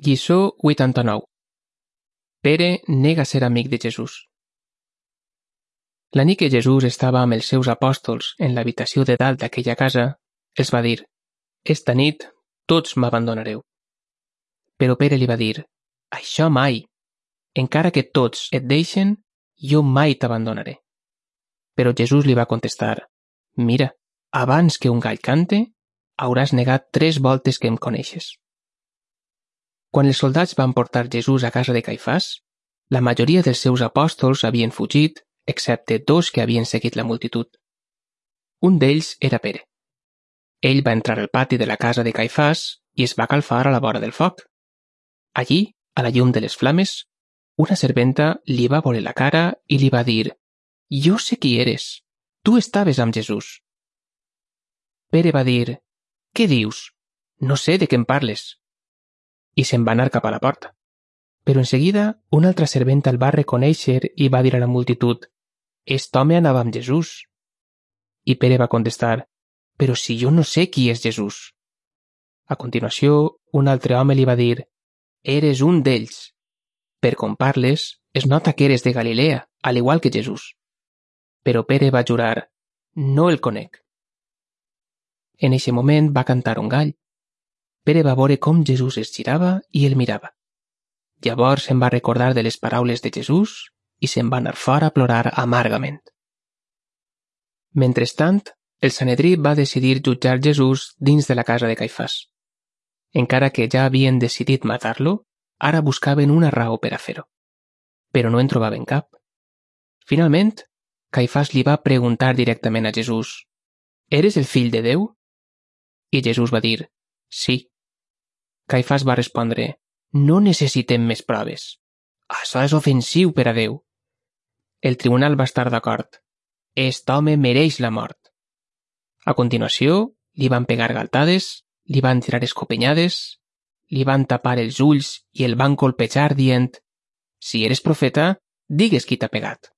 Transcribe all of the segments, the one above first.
Lliçó 89. Pere nega ser amic de Jesús. La nit que Jesús estava amb els seus apòstols en l'habitació de dalt d'aquella casa, els va dir: «Esta nit tots m'abandonareu». Però Pere li va dir: «Això mai! Encara que tots et deixen, jo mai t'abandonaré». Però Jesús li va contestar: «Mira, abans que un gall cante, hauràs negat 3 voltes que em coneixes». Quan els soldats van portar Jesús a casa de Caifàs, la majoria dels seus apòstols havien fugit, excepte 2 que havien seguit la multitud. Un d'ells era Pere. Ell va entrar al pati de la casa de Caifàs i es va calfar a la vora del foc. Allí, a la llum de les flames, una serventa li va veure la cara i li va dir: «Jo sé qui eres. Tu estaves amb Jesús». Pere va dir: «Què dius? No sé de què em parles». I se'n va anar cap a la porta. Però en seguida una altra serventa el va reconèixer i va dir a la multitud: «Est home anava amb Jesús». I Pere va contestar: «Però si jo no sé qui és Jesús». A continuació, un altre home li va dir: «Eres un d'ells. Per com parles, es nota que eres de Galilea, al igual que Jesús». Però Pere va jurar: «No el conec». En eixe moment va cantar un gall. Pere va veure com Jesús es girava i el mirava. Llavors se'n va recordar de les paraules de Jesús i se'n va anar fora a plorar amargament. Mentrestant, el Sanedrí va decidir jutjar Jesús dins de la casa de Caifàs. Encara que ja havien decidit matar-lo, ara buscaven una raó per a fer-ho. Però no en trobaven cap. Finalment, Caifàs li va preguntar directament a Jesús: «Eres el fill de Déu?» I Jesús va dir: «Sí». Caifàs va respondre: «No necessitem més proves. Això és ofensiu per a Déu». El tribunal va estar d'acord. «Est home mereix la mort». A continuació, li van pegar galtades, li van tirar escopenyades, li van tapar els ulls i el van colpejar dient: «Si eres profeta, digues qui t'ha pegat».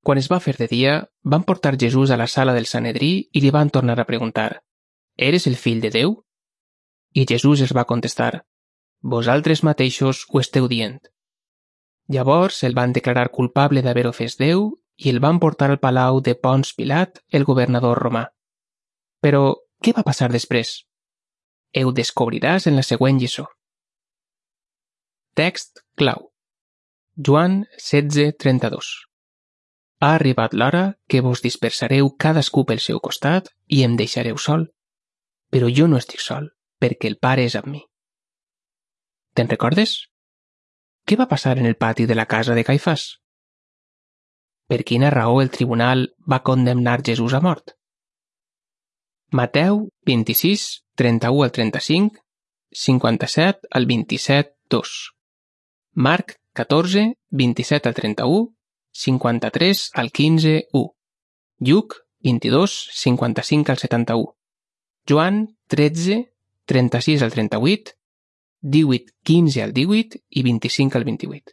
Quan es va fer de dia, van portar Jesús a la sala del Sanedrí i li van tornar a preguntar: «Eres el fill de Déu?» I Jesús els va contestar: «Vosaltres mateixos ho esteu dient». Llavors el van declarar culpable d'haver ofès Déu i el van portar al palau de Ponç Pilat, el governador romà. Però, què va passar després? Ho descobriràs en la següent lliçó. Text clau. Joan 16:32. Ha arribat l'hora que vos dispersareu cadascú pel seu costat i em deixareu sol. Però jo no estic sol, perquè el Pare és amb mi. Te'n recordes? Què va passar en el pati de la casa de Caifàs? Per quina raó el tribunal va condemnar Jesús a mort? Mateu 26, 31 al 35, 57 al 27, 2. Marc 14, 27 al 31, 53 al 15, 1. Lluc 22, 55 al 71. Joan 13, 36 al 38, 18, 15 al 18 i 25 al 28.